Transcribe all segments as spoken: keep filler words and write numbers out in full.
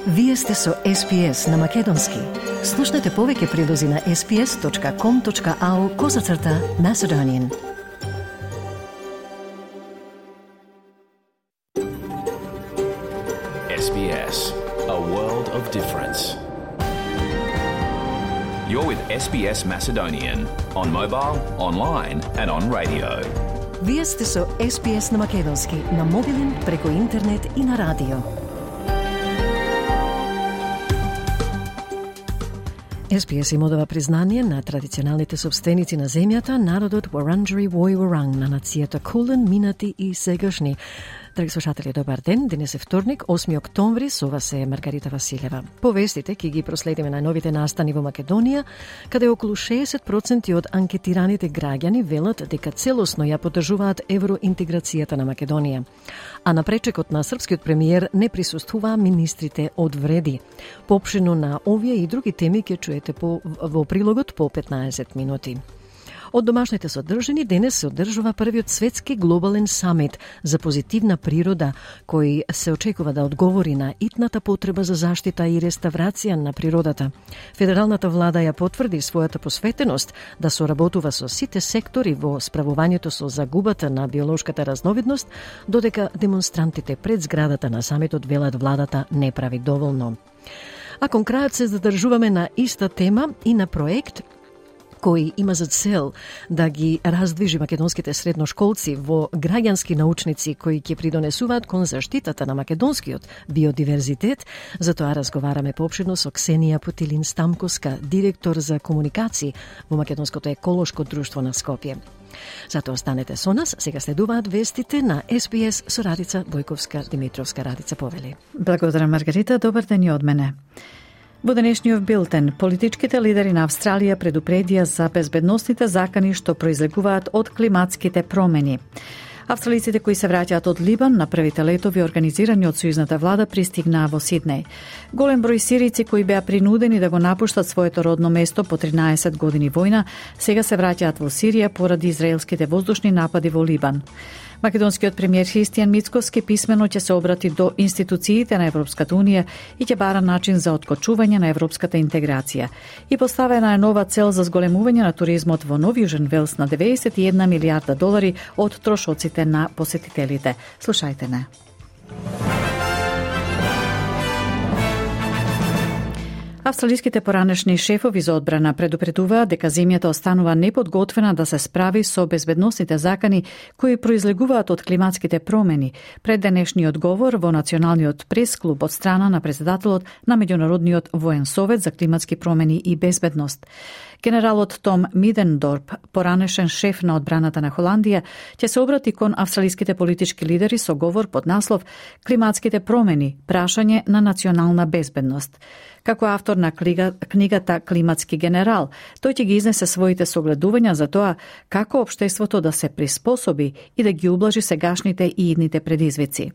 Вие сте со Ес Би Ес на Македонски. Слушнете повеќе прилози на ес би ес точка ком точка ау козацрта Macedonian. Ес Би Ес, a world of difference. You're with Ес Би Ес Macedonian on mobile, online and on radio. Вие сте со Ес Би Ес на Македонски, на мобилен, преку интернет и на радио. Ес Би Ес им одава признание на традиционалните собственици на земјата, народот Вуранџери Вој Вуранг, на нацијата Кулен, минати и сегашни. Драги слушатели, добар ден. Денес е вторник, осми октомври, со вас е Маргарита Василева. По вестите ќе ги проследиме најновите настани во Македонија, каде околу шеесет проценти од анкетираните граѓани велат дека целосно ја поддржуваат евроинтеграцијата на Македонија. А на пречекот на српскиот премиер не присуствуваа министрите од вреди. Поопшено на овие и други теми ќе чуете по, во прилогот по петнаесет минути. Од домашните содржини денес се одржува првиот светски глобален самит за позитивна природа, кој се очекува да одговори на итната потреба за заштита и реставрација на природата. Федералната влада ја потврди својата посветеност да соработува со сите сектори во справувањето со загубата на биолошката разновидност, додека демонстрантите пред зградата на самитот велат владата не прави доволно. А кон крајот се задржуваме на иста тема и на проект кој има за цел да ги раздвижи македонските средношколци во граѓански научници кои ќе придонесуваат кон заштитата на македонскиот биодиверзитет. За тоа разговараме поопширно со Ксенија Путилин-Стамковска, директор за комуникации во Македонското еколошко друштво на Скопје. Затоа останете со нас, сега следуваат вестите на Ес Би Ес со Радица Бојковска-Димитровска. Радица повели. Благодарам, Маргарита, добар ден и од мене. Во денешниот билтен, политичките лидери на Австралија предупредија за безбедносните закани што произлегуваат од климатските промени. Австралиците кои се враќаат од Либан на првите летови организирани од сојузната влада пристигнаа во Сиднеј. Голем број сирици кои беа принудени да го напуштат своето родно место по тринаесет години војна, сега се враќаат во Сирија поради израелските воздушни напади во Либан. Македонскиот премиер Христијан Мицкоски писмено ќе се обрати до институциите на Европската унија и ќе бара начин за откочување на европската интеграција. И поставена е нова цел за зголемување на туризмот во Нов Јужен Велс на деветдесет и една милијарда долари од трошоците на посетителите. Слушајте не. Австралиските поранешни шефови за одбрана предупредуваат дека земјата останува неподготвена да се справи со безбедносните закани кои произлегуваат од климатските промени, пред денешниот говор во Националниот прес-клуб од страна на председателот на Меѓународниот воен совет за климатски промени и безбедност. Генералот Том Мидендорп, поранешен шеф на одбраната на Холандија, ќе се обрати кон австралиските политички лидери со говор под наслов «Климатските промени, прашање на национална безбедност». Како автор на книга, книгата «Климатски генерал», тој ќе ги изнесе своите согледувања за тоа како општеството да се приспособи и да ги ублажи сегашните и идните предизвици.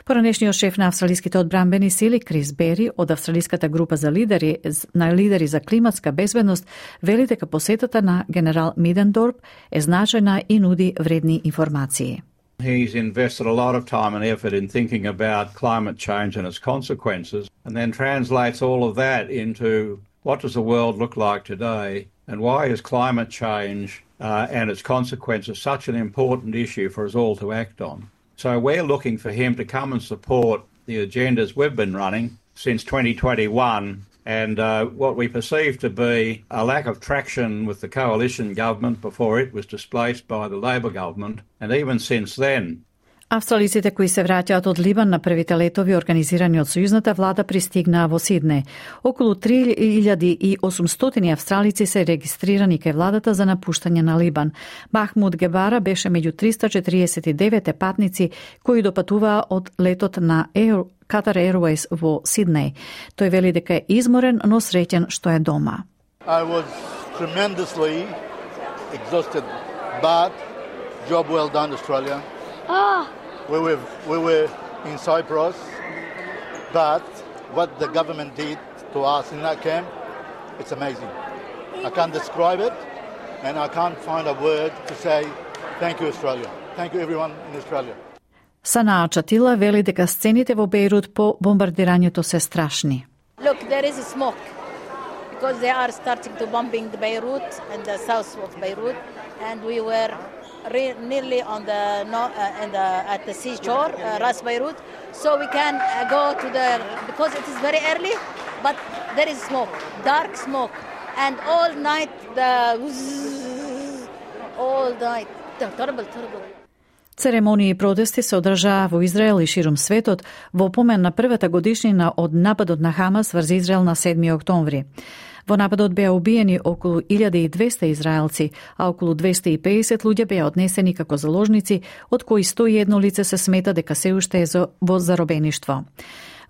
Поранешниот шеф на австралиските одбранбени сили Крис Бери од австралиската група за лидери на лидери за климатска безбедност вели дека посетата на генерал Мидендорп е значајна и нуди вредни информации. He's invested a lot of time and effort in thinking about climate change and its consequences, and then translates all of that into what does the world look like today, and why is climate change uh, and its consequences such an important issue for us all to act on. So we're looking for him to come and support the agendas we've been running since twenty twenty-one, and uh, what we perceive to be a lack of traction with the coalition government before it was displaced by the Labor government, and even since then. Австралиците кои се враќаат од Либан на првите летови организирани од сојузната влада пристигнаа во Сиднеј. Околу три илјади и осумстотини австралици се регистрирани кај владата за напуштање на Либан. Махмуд Гебара беше меѓу триста четириесет и девет патници кои допатуваа од летот на Air Qatar Airways во Сиднеј. Тој вели дека е изморен, но среќен што е дома. I was tremendously exhausted, but job well done, Australia. Ah. We were, we were in Cyprus, but what the government did to us in that camp, it's amazing. I can't describe it, and I can't find a word to say thank you, Australia. Thank you, everyone in Australia. Санаа Чатила вели дека сцените во Бејрут по бомбардирањето се страшни. Look, there is smoke because they are starting to bombing the Beirut and the south of Beirut, and we were re- nearly on the no, uh, in the at the seashore, uh, Ras Beirut, so we can uh, go to the because it is very early, but there is smoke, dark smoke, and all night the all night, terrible, terrible. Церемонии и протести се одржаа во Израел и ширум светот во помен на првата годишнина од нападот на Хамас врз Израел на седми октомври. Во нападот беа убиени околу илјада и двесте израелци, а околу двесте и педесет луѓе беа однесени како заложници, од кои сто и едно лице се смета дека се уште е во заробеништво.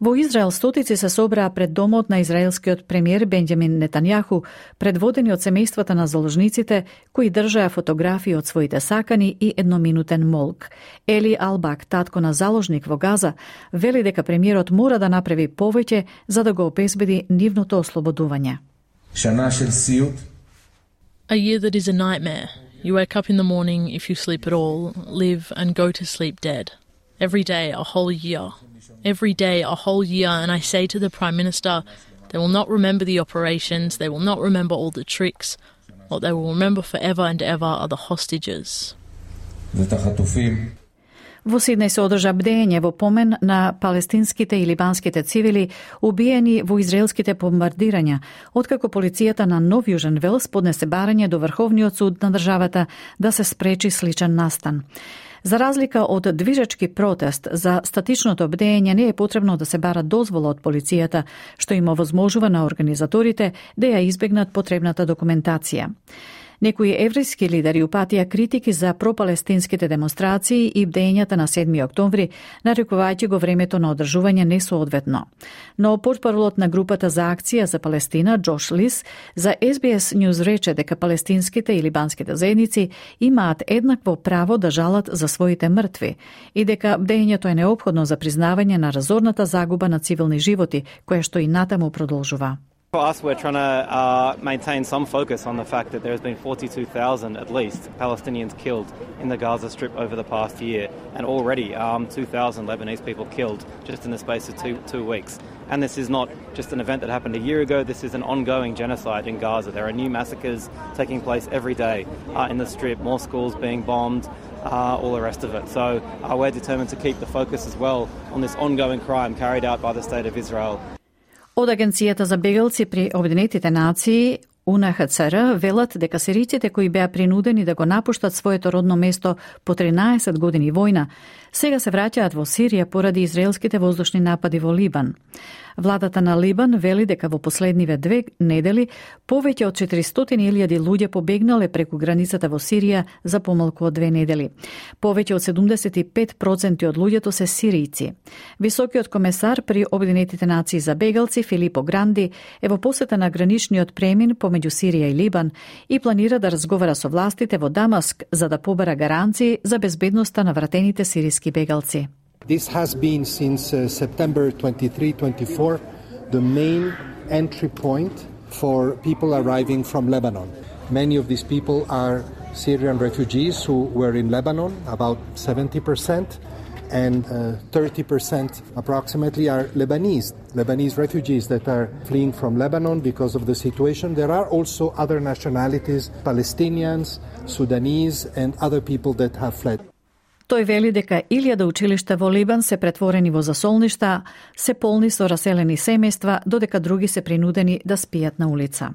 Во Израел стотици се собраа пред домот на израелскиот премиер Бенџамин Нетањаху, предводени од семејствата на заложниците, кои држаа фотографии од своите сакани и едноминутен молк. Ели Албак, татко на заложник во Газа, вели дека премиерот мора да направи повеќе за да го обезбеди нивното ослободување. A year that is a nightmare. You wake up in the morning, if you sleep at all, live and go to sleep dead. Every day, a whole year. Every day, a whole year, and I say to the Prime Minister, they will not remember the operations, they will not remember all the tricks. What they will remember forever and ever are the hostages. Во Сиднеј се одржа бдење во помен на палестинските и либанските цивили убиени во израелските бомбардирања, откако полицијата на Нов Јужен Велс поднесе барање до Врховниот суд на државата да се спречи сличен настан. За разлика од движечки протест, за статичното бдење не е потребно да се бара дозвола од полицијата, што им овозможува на организаторите да ја избегнат потребната документација. Некои еврејски лидери упатија критики за пропалестинските демонстрации и бдењата на седми октомври, нарекувајќи го времето на одржување несоодветно. Но портпаролот на групата за акција за Палестина, Джош Лис, за Ес Би Ес News рече дека палестинските и либанските заедници имаат еднакво право да жалат за своите мртви и дека бдењето е неопходно за признавање на разорната загуба на цивилни животи, која што и натаму продолжува. For us, we're trying to uh, maintain some focus on the fact that there has been forty-two thousand, at least, Palestinians killed in the Gaza Strip over the past year, and already um, two thousand Lebanese people killed just in the space of two, two weeks. And this is not just an event that happened a year ago, this is an ongoing genocide in Gaza. There are new massacres taking place every day uh, in the Strip, more schools being bombed, uh, all the rest of it. So uh, we're determined to keep the focus as well on this ongoing crime carried out by the State of Israel. Од Агенцијата за бегалци при Обединетите нации У Ен Ха Це Ер велат дека сириците кои беа принудени да го напуштат своето родно место по тринаесет години војна, сега се враќаат во Сирија поради израелските воздушни напади во Либан. Владата на Либан вели дека во последниве две недели повеќе од четиристотини илјади луѓе побегнале преку границата во Сирија за помалку од две недели. Повеќе од седумдесет и пет проценти од луѓето се сиријци. Високиот комесар при Обединетите нации за бегалци Филипо Гранди е во посета на граничниот премин помеѓу Сирија и Либан и планира да разговара со властите во Дамаск за да побара гаранции за безбедноста на вратените сиријски бегалци. This has been since uh, September twenty-third, twenty-fourth, the main entry point for people arriving from Lebanon. Many of these people are Syrian refugees who were in Lebanon, about seventy percent, and uh, thirty percent approximately are Lebanese, Lebanese refugees that are fleeing from Lebanon because of the situation. There are also other nationalities, Palestinians, Sudanese, and other people that have fled. Тој вели дека илјада училишта во Либан се претворени во засолништа, се полни со раселени семејства, додека други се принудени да спијат на улица.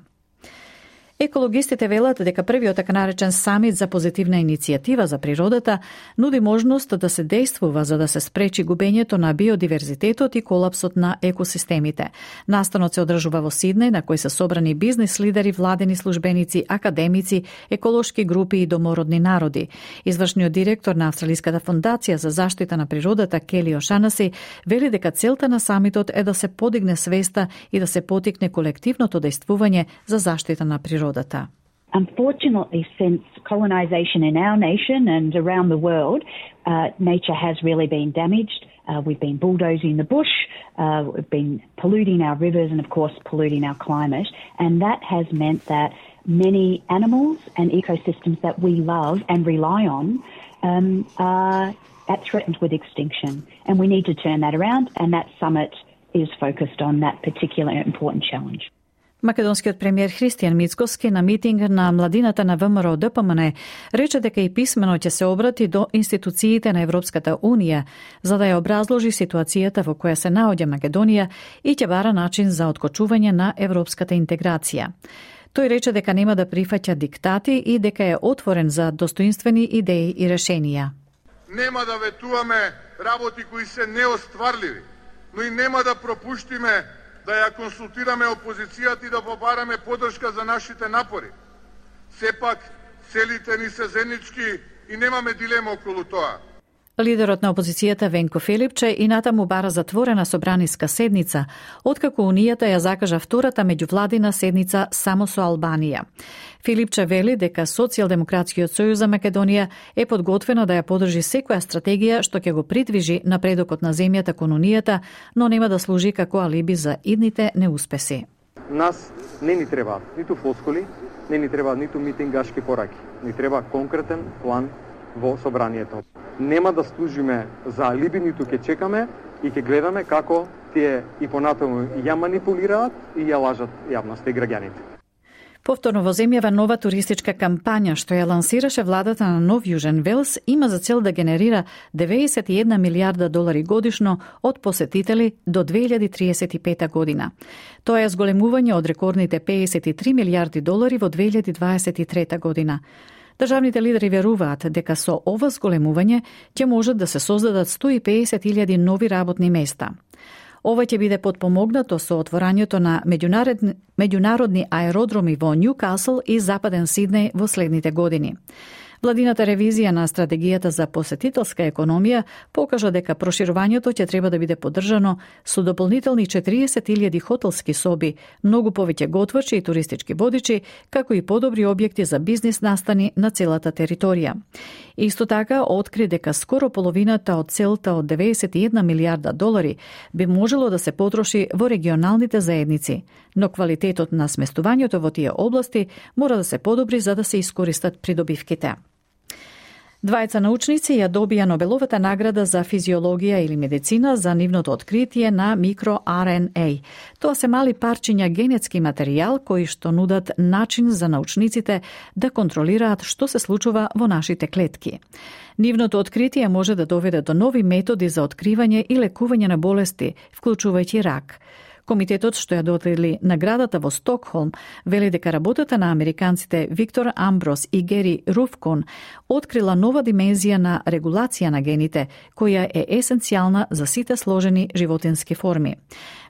Екологистите велат дека првиот така наречен самит за позитивна иницијатива за природата нуди можност да се действува за да се спречи губењето на биодиверзитетот и колапсот на екосистемите. Настанот се одржува во Сиднеј, на кој се собрани бизнис лидери, владени службеници, академици, еколошки групи и домородни народи. Извршниот директор на Австралиската фондација за заштита на природата Кели Ошанаси вели дека целта на самитот е да се подигне свеста и да се потикне колективното действување за заштита на природата. Unfortunately, since colonisation in our nation and around the world, uh, nature has really been damaged. Uh, we've been bulldozing the bush, uh, we've been polluting our rivers and, of course, polluting our climate. And that has meant that many animals and ecosystems that we love and rely on um, are at threatened with extinction. And we need to turn that around, and that summit is focused on that particular important challenge. Македонскиот премиер Христијан Мицкоски на митинг на младината на ВМРО Д П М Н рече дека и писмено ќе се обрати до институциите на Европската Унија за да ја образложи ситуацијата во која се наоѓа Македонија и ќе бара начин за откочување на европската интеграција. Тој рече дека нема да прифаќа диктати и дека е отворен за достоинствени идеи и решенија. Нема да ветуваме работи кои се неостварливи, но и нема да пропуштиме да ја консултираме опозицијата и да побараме поддршка за нашите напори. Сепак, целите ни се заеднички и немаме дилема околу тоа. Лидерот на опозицијата Венко Филипче и натаму бара затворена собраниска седница, откако Унијата ја закажа втората меѓувладина седница само со Албанија. Филипче вели дека Социјалдемократскиот сојуз за Македонија е подготвено да ја подржи секоја стратегија што ќе го придвижи напредокот на земјата кон Унијата, но нема да служи како алиби за идните неуспеси. Нас не ни треба ниту флоскули, не ни треба ниту митингашки пораки. Ни треба конкретен план во собранието. Нема да служиме за алиби, ниту ќе чекаме и ќе гледаме како тие и понатаму ја манипулираат и ја лажат јавноста и граѓаните. Повторно во земјава нова туристичка кампања што ја лансираше владата на Нов Јужен Велс има за цел да генерира деветдесет и една милијарда долари годишно од посетители до две илјади триесет и пета година. Тоа е зголемување од рекордните пеесет и три милијарди долари во две илјади дваесет и трета година. Државните лидери веруваат дека со ова зголемување ќе можат да се создадат сто и пеесет илјади нови работни места. Ова ќе биде потпомогнато со отворањето на меѓународни, меѓународни аеродроми во Њукасл и Западен Сиднеј во следните години. Владината ревизија на стратегијата за посетителска економија покажа дека проширувањето ќе треба да биде поддржано со дополнителни четириесет илјади хотелски соби, многу повеќе готвачи и туристички водичи, како и подобри објекти за бизнис настани на целата територија. Исто така откри дека скоро половината од целта од деветдесет и една милијарда долари би можело да се потроши во регионалните заедници, но квалитетот на сместувањето во тие области мора да се подобри за да се искористат придобивките. Двајца научници ја добија Нобеловата награда за физиологија или медицина за нивното откритие на микро-Ар Ен Ей. Тоа се мали парчиња генетски материјал кои што нудат начин за научниците да контролираат што се случува во нашите клетки. Нивното откритие може да доведе до нови методи за откривање и лекување на болести, вклучувајќи рак. Комитетот што ја додели наградата во Стокхолм вели дека работата на американците Виктор Амброс и Гери Руфкон открила нова димензија на регулација на гените, која е есенцијална за сите сложени животински форми.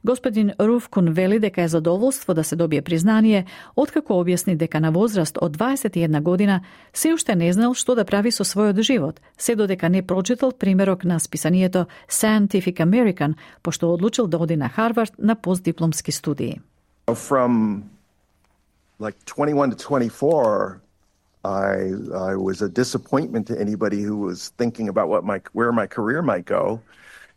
Господин Руфкун вели дека е задоволство да се добие признание, откако објасни дека на возраст од дваесет и една година се уште не знал што да прави со својот живот, се додека не прочитал примерок на списанието Scientific American, пошто одлучил да оди на Харвард на постдипломски студии. From like twenty-one to twenty-four, I I was a disappointment to anybody who was thinking about what my where my career might go.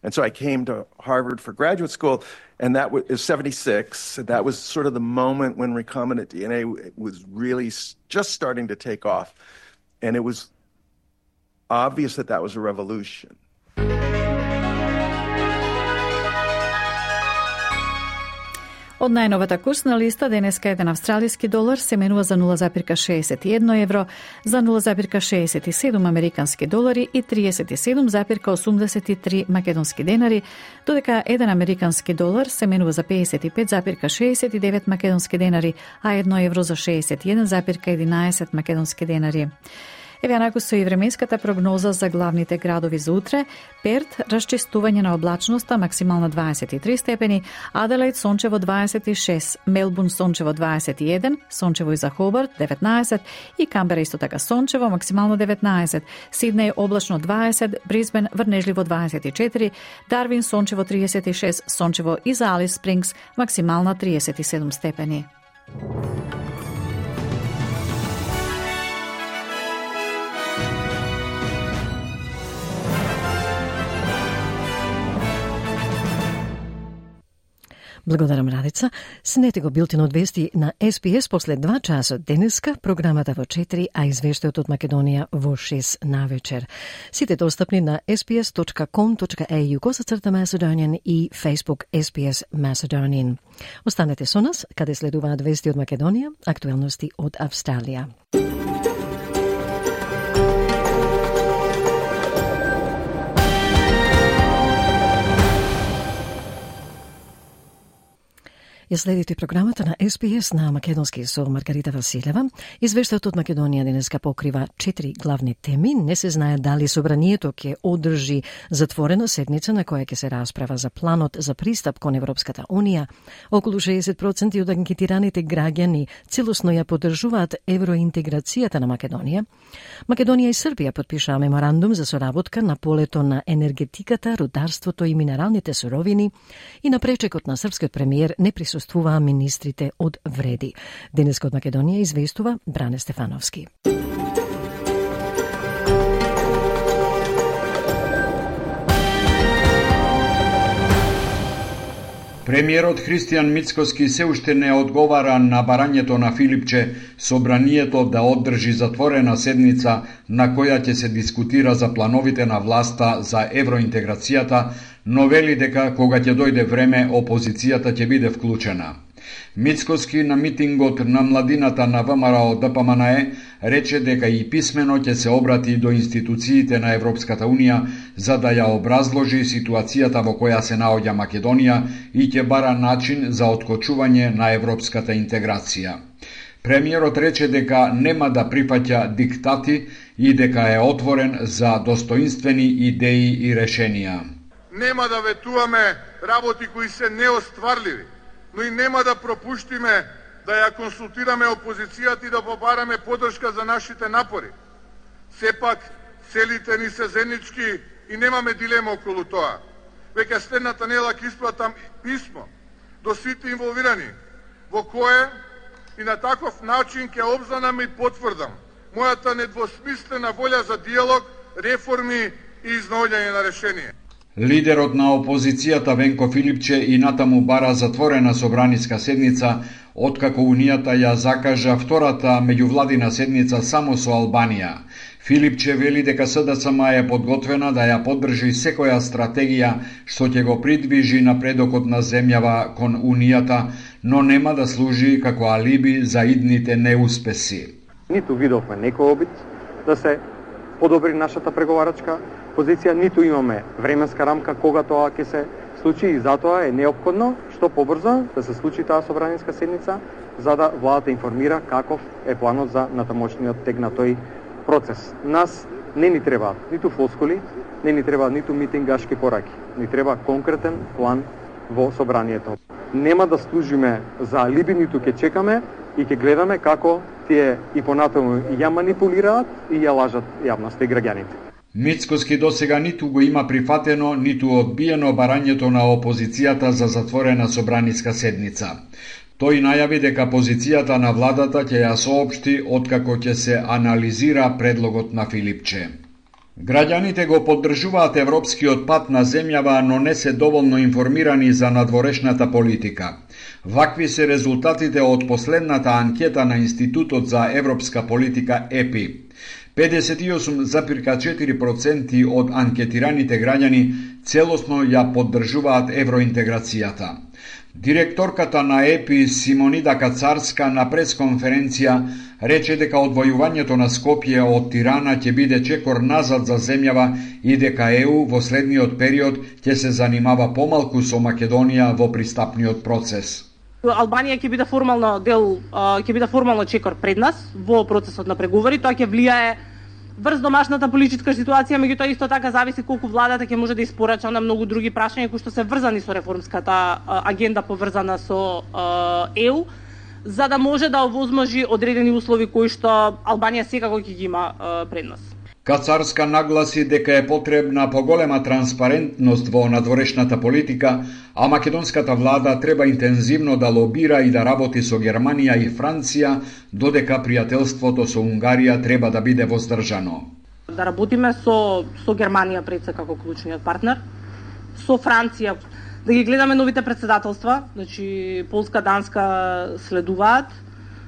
And so I came to Harvard for graduate school, and that was seventy-six. That was sort of the moment when recombinant D N A was really just starting to take off. And it was obvious that that was a revolution. Од најновата курсна листа денеска еден австралиски долар се менува за нула запирка шеесет и едно евро, за нула запирка шеесет и седум американски долари и триесет и седум запирка осумдесет и три македонски денари, додека еден американски долар се менува за пеесет и пет запирка шеесет и девет македонски денари, а едно евро за шеесет и еден запирка единаесет македонски денари. Еве онаку со и временската прогноза за главните градови за утре. Перт, расчистување на облачноста, максимална дваесет и три степени, Аделаид сончево дваесет и шест, Мелбурн сончево дваесет и еден, сончево и за Хобарт деветнаесет и Камбера исто така сончево, максимално деветнаесет, Сиднеј облачно дваесет, Брисбен врнежливо дваесет и четири, Дарвин сончево триесет и шест, сончево и за Алис Спрингс, максимална триесет и седум степени. Благодарам, Радица. Снете го билтинот вести на Ес Би Ес после два часа денеска, програмата во четири, а извештајот од Македонија во шест навечер. Сите достапни на ес би ес точка ком точка ей ю косацрта Macedonian и Facebook Ес Би Ес Macedonian. Останете со нас, каде следуваат вести од Македонија, актуелности од Австралија. Ја следите програмата на Ес Би Ес на македонски со Маргарита Василева. Извештајот од Македонија денеска покрива четири главни теми. Не се знае дали собранието ќе одржи затворена седница на која ќе се расправа за планот за пристап кон Европската Унија. Околу шеесет проценти од анкетираните граѓани целосно ја поддржуваат евроинтеграцијата на Македонија. Македонија и Србија подпишаа меморандум за соработка на полето на енергетиката, рударството и минералните суровини и на пречекот на српскиот премиер не присуствуваа присуствуваа министрите од Вреди. Денеска од Македонија известува Бране Стефановски. Премиерот Христијан Мицкоски се уште не одговара на барањето на Филипче собранието да одржи затворена седница на која ќе се дискутира за плановите на власта за евроинтеграцијата, но вели дека кога ќе дојде време опозицијата ќе биде вклучена. Мицкоски на митингот на младината на ВМРО Д П М Н Е рече дека и писмено ќе се обрати до институциите на Европската Унија за да ја образложи ситуацијата во која се наоѓа Македонија и ќе бара начин за откочување на европската интеграција. Премиерот рече дека нема да прифаќа диктати и дека е отворен за достоинствени идеи и решенија. Нема да ветуваме работи кои се неостварливи, но и нема да пропуштиме да ја консултираме опозицијата и да побараме поддршка за нашите напори. Сепак, целите ни се заеднички и немаме дилема околу тоа. Веќе следната недела ќе испратам писмо до сите инволвирани, во кое и на таков начин ќе обзнанам и потврдам мојата недвосмислена волја за диалог, реформи и изнаоѓање на решение. Лидерот на опозицијата Венко Филипче и натаму бара затворена собраниска седница, откако Унијата ја закажа втората меѓувладина седница само со Албанија. Филипче вели дека С Д С М е подготвена да ја поддржи секоја стратегија што ќе го придвижи напредокот на земјава кон Унијата, но нема да служи како алиби за идните неуспеси. Ниту видовме некој обид да се подобри нашата преговарачка позиција, ниту имаме временска рамка кога тоа ќе се случи и затоа е неопходно што побрзо да се случи таа собраниска седница за да владата информира каков е планот за натамошниот тек на тој процес. Нас не ни треба ниту флоскули, не ни треба ниту митингашки пораки. Ни треба конкретен план во собранието. Нема да служиме за алиби, ниту ќе чекаме и ќе гледаме како тие и понатаму ја манипулираат и ја лажат јавноста и граѓаните. Мицкоски досега ниту го има прифатено, ниту одбиено барањето на опозицијата за затворена собраниска седница. Тој најави дека позицијата на владата ќе ја соопшти откако ќе се анализира предлогот на Филипче. Граѓаните го поддржуваат европскиот пат на земјава, но не се доволно информирани за надворешната политика. Вакви се резултатите од последната анкета на Институтот за европска политика Е Пи. педесет и осум запирка четири проценти од анкетираните граѓани целосно ја поддржуваат евроинтеграцијата. Директорката на Е Пи Симонида Кацарска на пресконференција рече дека одвојувањето на Скопје од Тирана ќе биде чекор назад за земјава и дека Е У во следниот период ќе се занимава помалку со Македонија во пристапниот процес. Албанија ќе биде формално дел, ќе биде формално чекор пред нас во процесот на преговори, тоа ќе влијае врз домашната политичка ситуација, меѓутоа исто така зависи колку владата ќе може да испорача на многу други прашања кои што се врзани со реформската агенда поврзана со Е У, за да може да овозможи одредени услови кои што Албанија секако ќе ги има пред нас. Кацарска нагласи дека е потребна поголема транспарентност во надворешната политика, а македонската влада треба интензивно да лобира и да работи со Германија и Франција, додека пријателството со Унгарија треба да биде воздржано. Да работиме со, со Германија пред се како клучниот партнер, со Франција да ги гледаме новите председателства, значи Полска, Данска следуваат.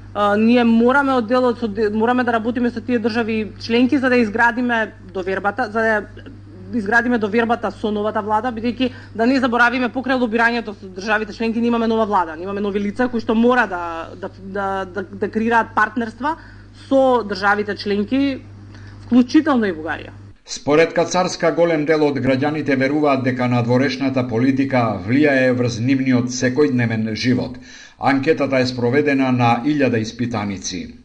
Uh, ние мораме од делот мораме да работиме со тие држави членки за да изградиме довербата, за да изградиме довербата со новата влада, бидејќи да не заборавиме покрај лобирањето со државите членки, имаме нова влада, имаме нови лица кои што мора да да да да, да креираат партнерства со државите членки, вклучително и Бугарија. Според Кацарска, голем дел од граѓаните веруваат дека надворешната политика влијае врз нивниот секојдневен живот. Анкетата е спроведена на илјада испитаници.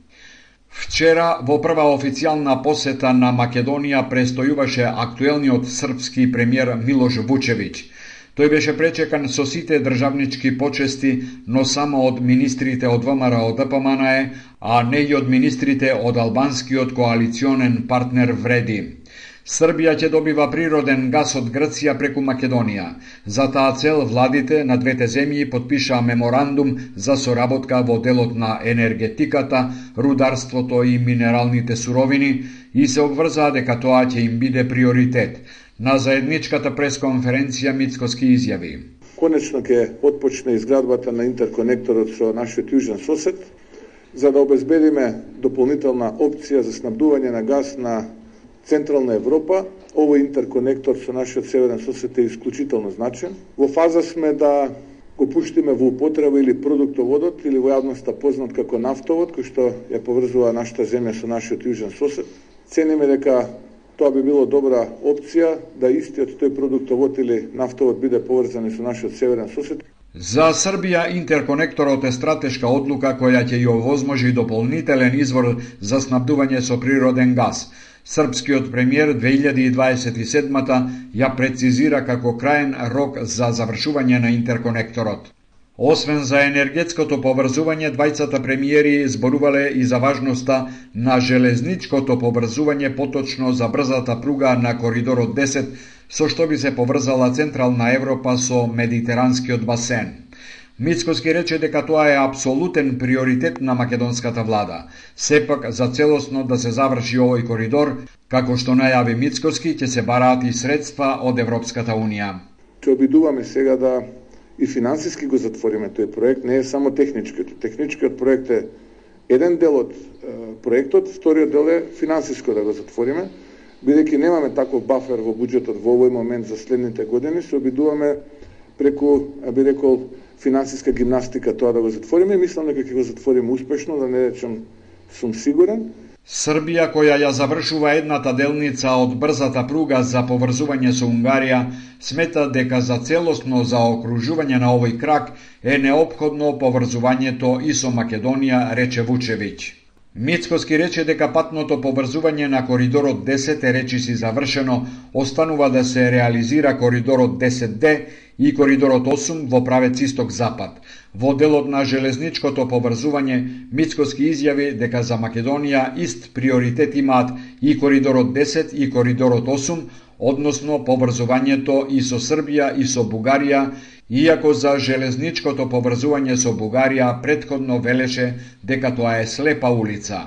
Вчера, во прва официјална посета на Македонија, престојуваше актуелниот српски премиер Милош Вучевиќ. Тој беше пречекан со сите државнички почести, но само од министрите од ВМРО Д П М Н Е, а не и од министрите од албанскиот коалиционен партнер Вреди. Србија ќе добива природен газ од Грција преку Македонија. За таа цел владите на двете земји подпишаа меморандум за соработка во делот на енергетиката, рударството и минералните суровини и се обврзаа дека тоа ќе им биде приоритет. На заедничката пресконференција Мицкоски изјави: Конечно ќе отпочне изградбата на интерконекторот со нашиот јужен сосед, за да обезбедиме дополнителна опција за снабдување на газ на Централна Европа. Овој интерконектор со нашиот северен сосед е исклучително значен. Во фаза сме да го пуштиме во употреба или продуктоводот, или во јавноста познат како нафтовод, кој што ја поврзува нашата земја со нашиот јужен сосед. Цениме дека тоа би било добра опција да истиот тој продуктовод или нафтовод биде поврзан со нашиот северен сосед. За Србија интерконекторот е стратешка одлука која ќе ја овозможи дополнителен извор за снабдување со природен газ. Српскиот премиер две илјади дваесет и седма ја прецизира како краен рок за завршување на интерконекторот. Освен за енергетското поврзување, двајцата премиери зборувале и за важноста на железничкото поврзување, поточно за брзата пруга на коридорот десет, со што би се поврзала Централна Европа со Медитеранскиот басен. Мицкоски рече дека тоа е апсолутен приоритет на македонската влада. Сепак, за целосно да се заврши овој коридор, како што најави Мицкоски, ќе се бараат и средства од Европската Унија. Ќе обидуваме сега да и финансиски го затвориме тој проект, не е само техничкиот. Техничкиот проект е еден дел од е, проектот, вториот дел е финансиско да го затвориме, бидејќи немаме таков бафер во буџетот во овој момент за следните години, се обидуваме преку, би рекол, финансиска гимнастика тоа да го затвориме. Мислам дека ќе го затвориме успешно, да не речем сум сигурен. Србија, која ја завршува едната делница од брзата пруга за поврзување со Унгарија, смета дека за целосно заокружување на овој крак е неопходно поврзувањето и со Македонија, рече Вучевиќ. Мицкоски рече дека патното поврзување на коридорот десет е речиси завршено, останува да се реализира коридорот десет Д и коридорот осум во правец исток-запад. Во делот на железничкото поврзување, Мицкоски изјави дека за Македонија ист приоритет имаат и коридорот десет и коридорот осум, односно поврзувањето и со Србија и со Бугарија, иако за железничкото поврзување со Бугарија претходно велеше дека тоа е слепа улица.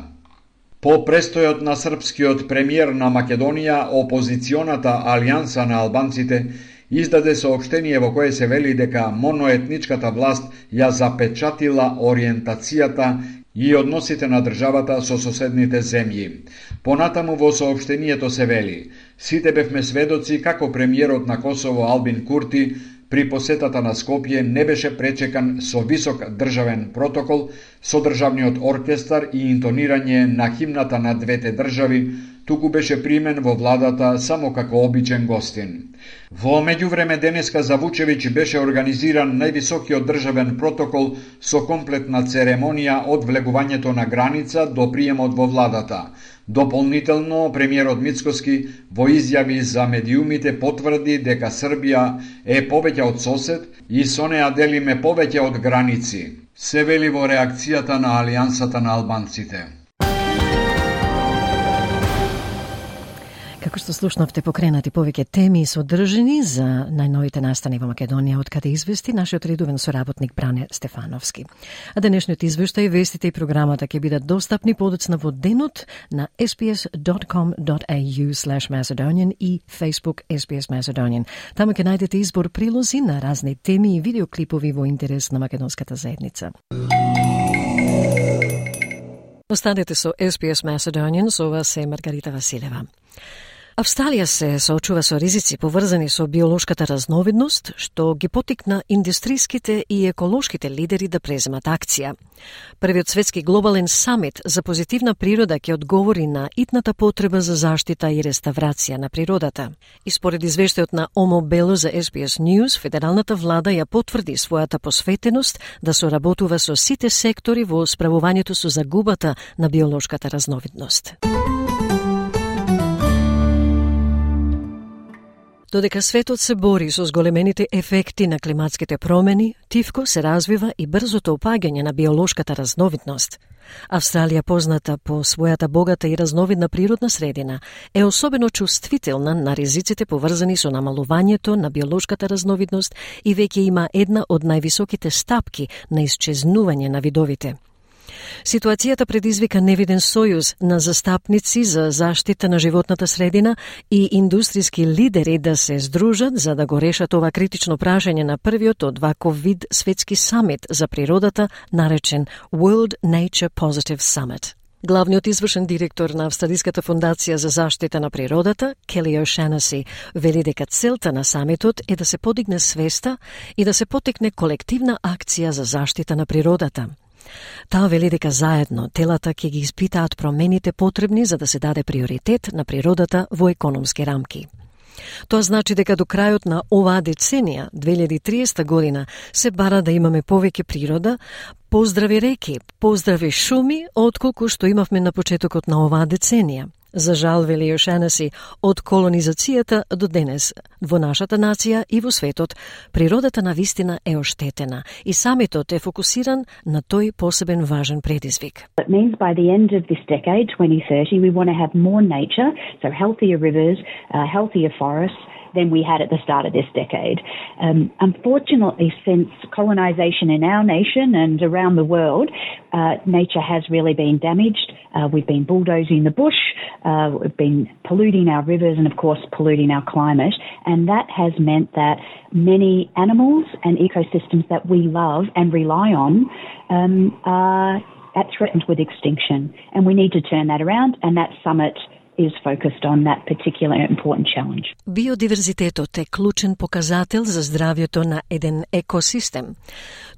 По престојот на српскиот премиер на Македонија, опозиционата Алијанса на албанците издаде соопштение во кое се вели дека моноетничката власт ја запечатила ориентацијата и односите на државата со соседните земји. Понатаму во соопштението се вели: сите бевме сведоци како премиерот на Косово Албин Курти при посетата на Скопје не беше пречекан со висок државен протокол, со државниот оркестар и интонирање на химната на двете држави, туку беше примен во владата само како обичен гостин. Во меѓувреме денеска за Вучевиќ беше организиран највисокиот државен протокол со комплетна церемонија од влегувањето на граница до приемот во владата. Дополнително, премиерот Мицкоски во изјави за медиумите потврди дека Србија е повеќе од сосед и со неа делиме повеќе од граници, се вели во реакцијата на Алијансата на албанците. Како што слушнавте, покренати повеќе теми и содржини за најновите настани во Македонија, од каде извести нашиот редовен соработник Бране Стефановски. А денешниот извештај, вестите и програмата ќе бидат достапни подоцна во денот на ес би ес dot com dot a u slash macedonian и Facebook ес би ес Macedonian. Таму ќе најдете избор прилози на разни теми и видеоклипови во интерес на македонската заедница. Останете со ес би ес Macedonian, со вас е Маргарита Василева. Австралија се соочува со ризици поврзани со биолошката разновидност, што ги потикна индустриските и еколошките лидери да преземат акција. Првиот светски глобален самит за позитивна природа ќе одговори на итната потреба за заштита и реставрација на природата. И според извештајот на Омо Бело за ес би ес News, федералната влада ја потврди својата посветеност да соработува со сите сектори во справувањето со загубата на биолошката разновидност. Додека светот се бори со зголемените ефекти на климатските промени, тивко се развива и брзото опаѓање на биолошката разновидност. Австралија, позната по својата богата и разновидна природна средина, е особено чувствителна на ризиците поврзани со намалувањето на биолошката разновидност и веќе има една од највисоките стапки на исчезнување на видовите. Ситуацијата предизвика невиден сојуз на застапници за заштита на животната средина и индустријски лидери да се здружат за да го решат ова критично прашање на првиот од ваков вид светски самит за природата, наречен World Nature Positive Summit. Главниот извршен директор на Австралиската фондација за заштита на природата, Келли О'Шанаси, вели дека целта на самитот е да се подигне свеста и да се потекне колективна акција за заштита на природата. Таа вели дека заедно телата ќе ги испитаат промените потребни за да се даде приоритет на природата во економски рамки. Тоа значи дека до крајот на оваа деценија, две илјади и триесета година, се бара да имаме повеќе природа, поздрави реки, поздрави шуми, отколку што имавме на почетокот на оваа деценија. За жал, вели О'Шанаси, од колонизацијата до денес во нашата нација и во светот, природата на вистина е оштетена и самитот е фокусиран на тој посебен важен предизвик. It means by the end of this decade, twenty thirty, we want to have more nature, so healthier rivers, uh, healthier forests, than we had at the start of this decade. Um, unfortunately, since colonisation in our nation and around the world, uh, nature has really been damaged. Uh, we've been bulldozing the bush, uh, we've been polluting our rivers and, of course, polluting our climate. And that has meant that many animals and ecosystems that we love and rely on um, are at threatened with extinction. And we need to turn that around, and that summit is focused on that particular important challenge. Биодиверзитетот е клучен показател за здравјето на еден екосистем.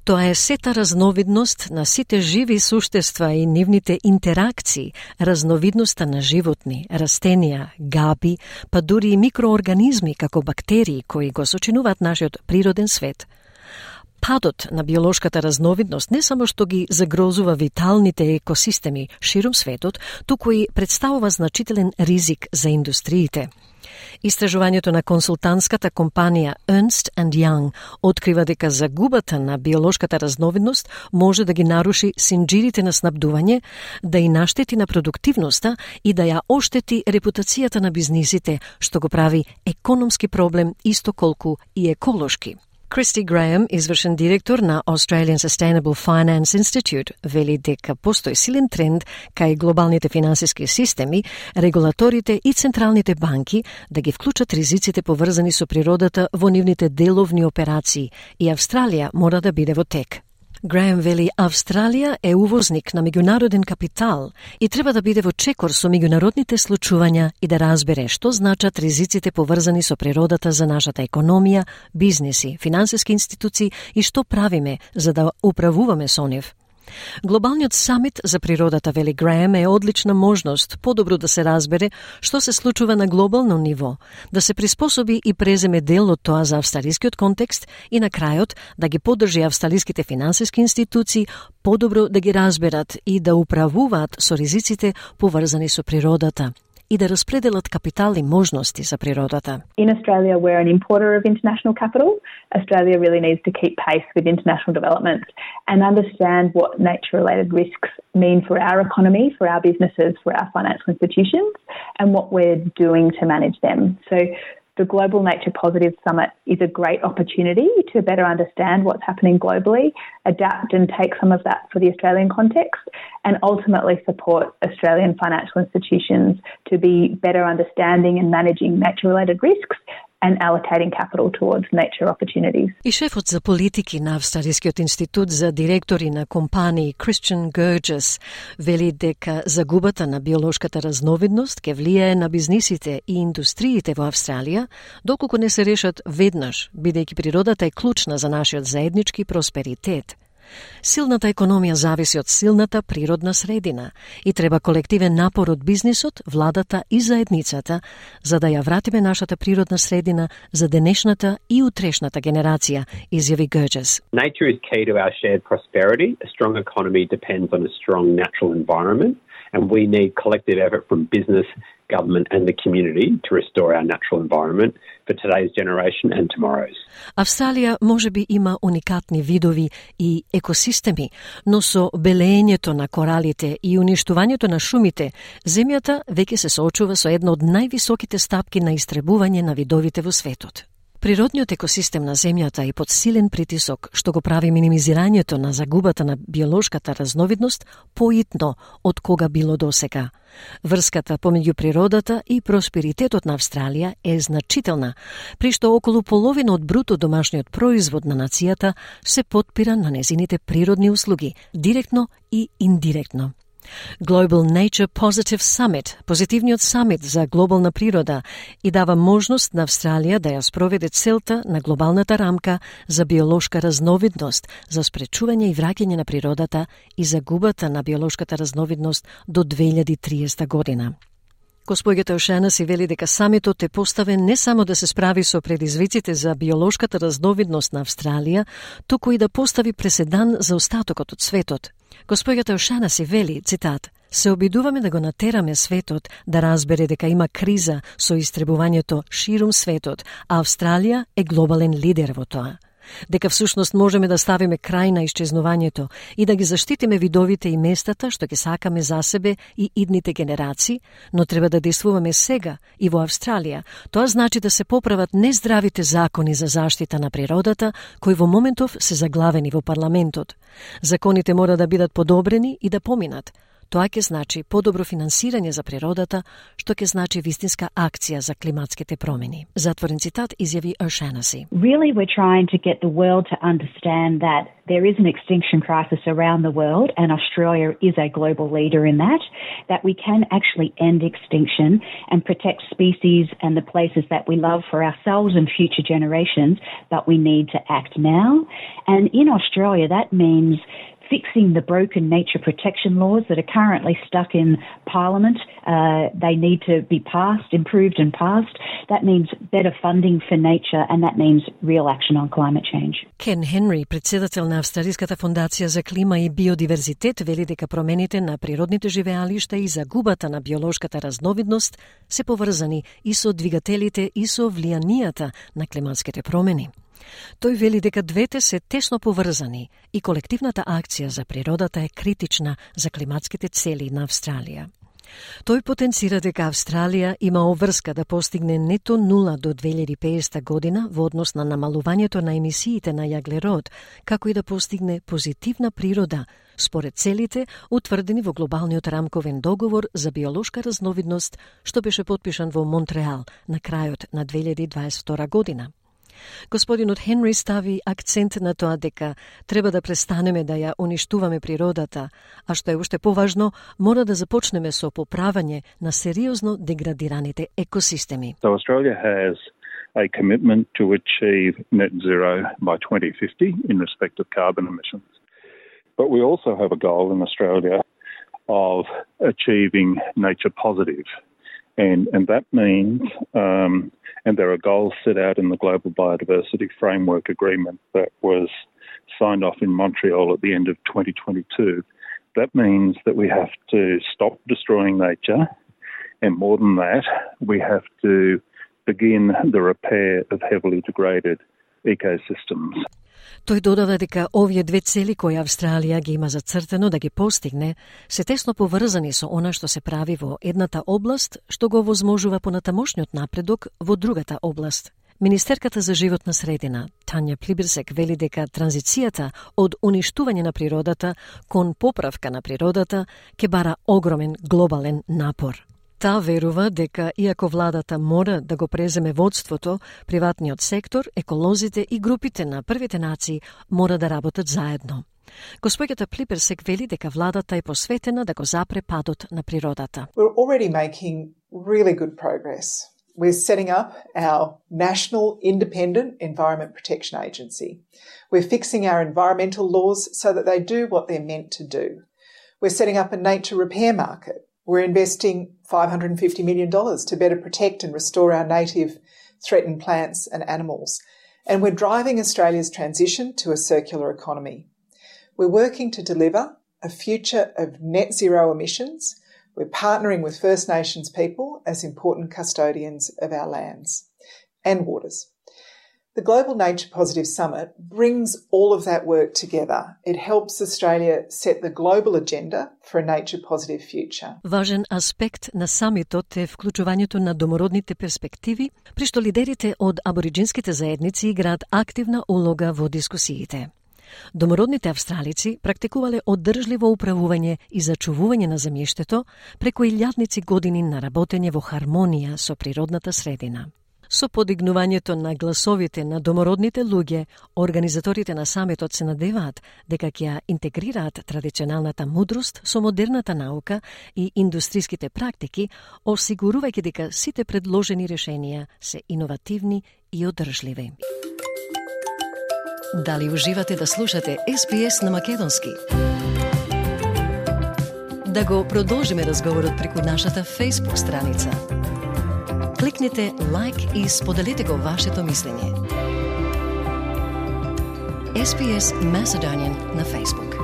Тоа е сета разновидност на сите живи суштества и нивните интеракции, разновидноста на животни, растенија, габи, па дури и микроорганизми како бактерии кои го сочинуваат нашиот природен свет. Падот на биолошката разновидност не само што ги загрозува виталните екосистеми ширум светот, туку и представува значителен ризик за индустриите. Истражувањето на консултантската компанија Ernst and Young открива дека загубата на биолошката разновидност може да ги наруши синџирите на снабдување, да и наштети на продуктивноста и да ја оштети репутацијата на бизнисите, што го прави економски проблем исто колку и еколошки. Кристи Греем, извршен директор на Australian Sustainable Finance Institute, вели дека постои силен тренд кај глобалните финансиски системи, регулаторите и централните банки да ги вклучат ризиците поврзани со природата во нивните деловни операции и Австралија мора да биде во тек. Греем вели Австралија е увозник на меѓународен капитал и треба да биде во чекор со меѓународните случувања и да разбере што значат ризиците поврзани со природата за нашата економија, бизнеси, финансиски институции и што правиме за да управуваме со нив. Глобалниот самит за природата, вели Греем, е одлична можност подобро да се разбере што се случува на глобално ниво, да се приспособи и преземе дел од тоа за австралискиот контекст и на крајот да ги поддржи австралиските финансиски институции подобро да ги разберат и да управуваат со ризиците поврзани со природата. и да распределат капитал и можности за природата. In Australia, we're an importer of international capital. Australia really needs to keep pace with international developments and understand what nature-related risks mean for our economy, for our businesses, for our financial institutions, and what we're doing to manage them. So the Global Nature Positive Summit is a great opportunity to better understand what's happening globally, adapt and take some of that for the Australian context, and ultimately support Australian financial institutions to be better understanding and managing nature-related risks and allocating capital towards nature opportunities. И шефот за политики на Австралискиот институт за директори на компании Christian Gurgis вели дека загубата на биолошката разновидност ќе влијае на бизнисите и индустриите во Австралија, доколку не се решат веднаш, бидејќи природата е клучна за нашиот заеднички просперитет. Силната економија зависи од силната природна средина и треба колективен напор од бизнисот, владата и заедницата за да ја вратиме нашата природна средина за денешната и утрешната генерација, изјави Gurgis. Nature is key to our shared prosperity. A strong economy depends on a strong natural environment, and we need collective effort from business, government and the community to restore our natural environment for today's generation and tomorrow's. Австралија можеби има уникатни видови и екосистеми, но со белеењето на коралите и уништувањето на шумите, земјата веќе се соочува со една од највисоките стапки на истребување на видовите во светот. Природниот екосистем на земјата е под силен притисок, што го прави минимизирањето на загубата на биолошката разновидност поитно од кога било досега. Врската помеѓу природата и просперитетот на Австралија е значителна, при што околу половина од бруто домашниот производ на нацијата се потпира на незините природни услуги, директно и индиректно. Global Nature Positive Summit, позитивниот самит за глобална природа, и дава можност на Австралија да ја спроведе целта на глобалната рамка за биолошка разновидност, за спречување и враќање на природата и загубата на биолошката разновидност до две илјади и триесета година. Госпоѓата Ошенеси вели дека самитот е поставен не само да се справи со предизвиците за биолошката разновидност на Австралија, туку и да постави преседан за остатокот од светот. Госпоѓата Ошенеси вели, цитат, се обидуваме да го натераме светот да разбере дека има криза со истребувањето ширум светот, а Австралија е глобален лидер во тоа. Дека всушност можеме да ставиме крај на исчезнувањето и да ги заштитиме видовите и местата што ќе сакаме за себе и идните генерации, но треба да действуваме сега и во Австралија. Тоа значи да се поправат нездравите закони за заштита на природата, кои во моментов се заглавени во парламентот. Законите мора да бидат подобрени и да поминат. Тоа ќе значи подобро финансирање за природата, што ќе значи вистинска акција за климатските промени. Затворен цитат изјави Ошенеси. Really, we're trying to get the world to understand that there is an extinction crisis around the world, and Australia is a global leader in that, that we can actually end extinction and protect species and the places that we love for ourselves and future generations, but we need to act now. And in Australia, that means fixing the broken nature protection laws that are currently stuck in Parliament. Uh, they need to be passed, improved and passed. That means better funding for nature, and that means real action on climate change. Ken Henry, председател на Австралиската фондација за клима и биодиверзитет, вели дека промените на природните живеалишта и загубата на биолошката разновидност се поврзани и со двигателите и со влијанијата на климатските промени. Тој вели дека двете се тесно поврзани и колективната акција за природата е критична за климатските цели на Австралија. Тој потенцира дека Австралија има обврска да постигне нето нула до две илјади и педесета година во однос на намалувањето на емисиите на јаглерод, како и да постигне позитивна природа според целите утврдени во глобалниот рамковен договор за биолошка разновидност, што беше потпишан во Монтреал на крајот на две илјади дваесет и втора година. Господинот Хенри стави акцент на тоа дека треба да престанеме да ја уништуваме природата, а што е уште поважно, мора да започнеме со поправање на сериозно деградираните екосистеми. So Australia has a commitment to achieve net zero by twenty fifty in respect of carbon emissions. But we also have a goal in Australia of achieving nature positive. And, and that means, um, and there are goals set out in the Global Biodiversity Framework Agreement that was signed off in Montreal at the end of twenty twenty-two. That means that we have to stop destroying nature And more than that, we have to begin the repair of heavily degraded ecosystems. Тој додава дека овие две цели кои Австралија ги има зацртено да ги постигне се тесно поврзани со она што се прави во едната област, што го возможува понатамошниот напредок во другата област. Министерката за животна средина, Тања Плиберсек, вели дека транзицијата од уништување на природата кон поправка на природата ќе бара огромен глобален напор. Таа верува дека, иако владата мора да го преземе водството, приватниот сектор, еколозите и групите на првите нации мора да работат заедно. Госпоѓата Плиберсек вели дека владата е посветена да го запре падот на природата. We're already making really good progress. We're setting up our National Independent Environment Protection Agency. We're fixing our environmental laws so that they do what they're meant to do. We're setting up a nature repair market. We're investing five hundred fifty million dollars to better protect and restore our native threatened plants and animals. And we're driving Australia's transition to a circular economy. We're working to deliver a future of net zero emissions. We're partnering with First Nations people as important custodians of our lands and waters. The Global Nature Positive Summit brings all of that work together. It helps Australia set the global agenda for a nature positive future. Важен аспект на самитот е вклучувањето на домородните перспективи, при што лидерите од абориджинските заедници играат активна улога во дискусиите. Домородните австралици практикувале оддржливо управување и зачувување на земјиштето преку илјадници години на работење во хармонија со природната средина. Со подигнувањето на гласовите на домородните луѓе, организаторите на самитот се надеваат дека ќе интегрираат традиционалната мудрост со модерната наука и индустриските практики, осигурувајќи дека сите предложени решенија се иновативни и одржливи. Дали уживате да слушате Ес Би Ес на македонски? Да го продолжиме разговорот преку нашата Facebook страница. Кликнете лайк и споделете го вашето мислење. Ес Би Ес Macedonian на Facebook.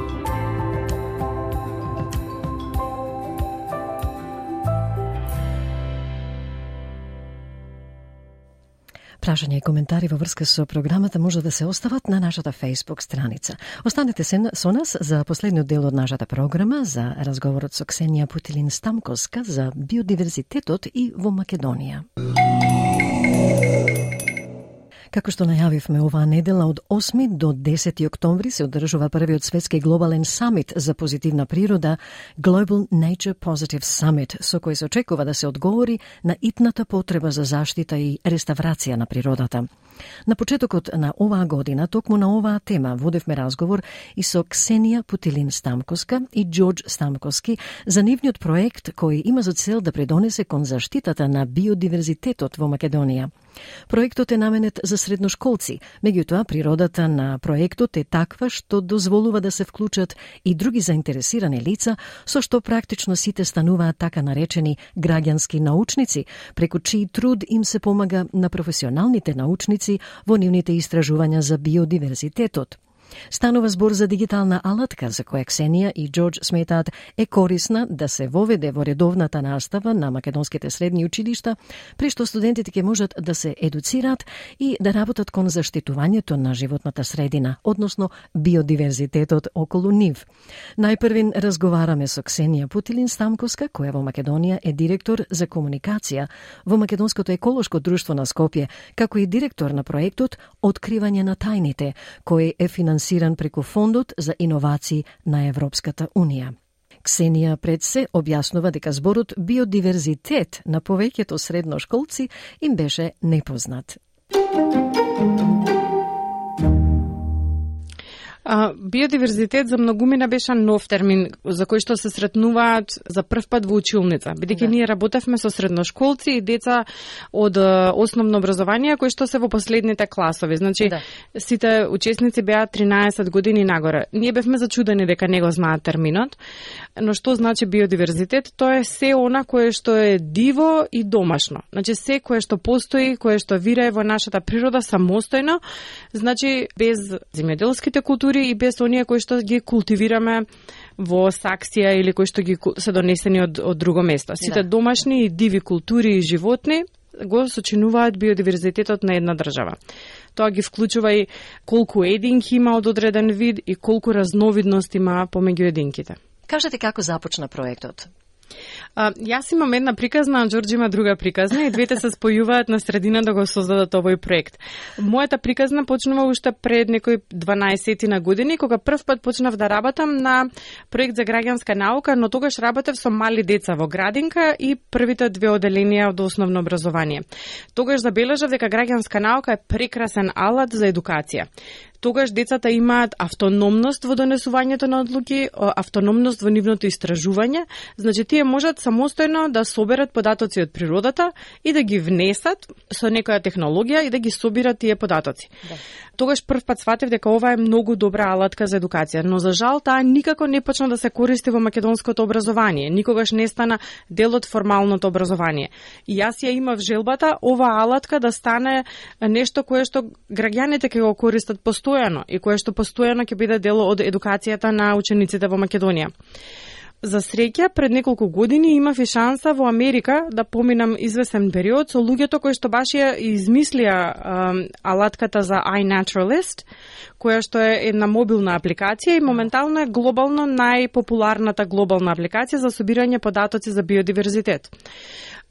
Прашања и коментари во врска со програмата може да се остават на нашата Facebook страница. Останете се со нас за последниот дел од нашата програма за разговорот со Ксенија Путилин-Стамковска за биодиверзитетот и во Македонија. Како што најавивме оваа недела, од осми до десети октомври се одржува првиот светски глобален самит за позитивна природа, Global Nature Positive Summit, со кој се очекува да се одговори на итната потреба за заштита и реставрација на природата. На почетокот на оваа година, токму на оваа тема, водевме разговор и со Ксенија Путилин-Стамковска и Џорџ Стамковски за нивниот проект кој има за цел да придонесе кон заштитата на биодиверзитетот во Македонија. Проектот е наменет за средношколци, меѓутоа природата на проектот е таква што дозволува да се вклучат и други заинтересирани лица, со што практично сите стануваат така наречени граѓански научници, преку чиј труд им се помага на професионалните научници во нивните истражувања за биодиверзитетот. Станува збор за дигитална алатка за која Ксенија и Џорџ сметаат е корисна да се воведе во редовната настава на македонските средни училишта, при што студентите ќе можат да се едуцираат и да работат кон заштитувањето на животната средина, односно биодиверзитетот околу нив. Најпрвин разговараме со Ксенија Путилин-Стамковска, која во Македонија е директор за комуникација во Македонското еколошко друштво на Скопје, како и директор на проектот Откривање на тајните, кој е финансиран преку Фондот за иновации на Европската Унија. Ксенија пред се објаснува дека зборот биодиверзитет на повеќето средношколци им беше непознат. А, биодиверзитет за многумина беше нов термин за кој што се сретнуваат за прв пат во училница, бидејќи да. Ние работевме со средношколци и деца од основно образование кои што се во последните класови. Значи, да. Сите учесници беа тринаесет години нагоре. Ние бевме зачудени дека не го знаат терминот, но што значи биодиверзитет? Тоа е се она кое што е диво и домашно. Значи, се кое што постои, кое што вирае во нашата природа самостојно, значи без земјоделските култури дури и без оние кои што ги култивираме во Саксија или кои што ги се донесени од, од друго место. Сите да. домашни и диви култури и животни го сочинуваат биодиверзитетот на една држава. Тоа ги вклучува и колку единки има од одреден вид и колку разновидност има помеѓу единките. Кажете како започна проектот? А, јас имам една приказна, а Џорџ има друга приказна и двете се спојуваат на средина да го создадат овој проект. Мојата приказна почнува уште пред некои дванаесет години, кога прв пат почнав да работам на проект за граѓанска наука, но тогаш работев со мали деца во градинка и првите две оделенија од основно образование. Тогаш забележав дека граѓанска наука е прекрасен алат за едукација. Тогаш децата имаат автономност во донесувањето на одлуки, автономност во нивното истражување, значи тие можат самостојно да соберат податоци од природата и да ги внесат со некоја технологија и да ги собират тие податоци. Да. Тогаш прв пат сватев дека ова е многу добра алатка за едукација, но за жал таа никако не почна да се користи во македонското образование, никогаш не стана дел од формалното образование. И јас ја имав желбата ова алатка да стане нешто кое што граѓаните ќе го користат постојано и кое што постојано ќе биде дел од едукацијата на учениците во Македонија. За среќа, пред неколку години имав и шанса во Америка да поминам извесен период со луѓето кои што баш ја измислија um, алатката за iNaturalist, која што е една мобилна апликација и моментално е глобално најпопуларната глобална апликација за собирање податоци за биодиверзитет.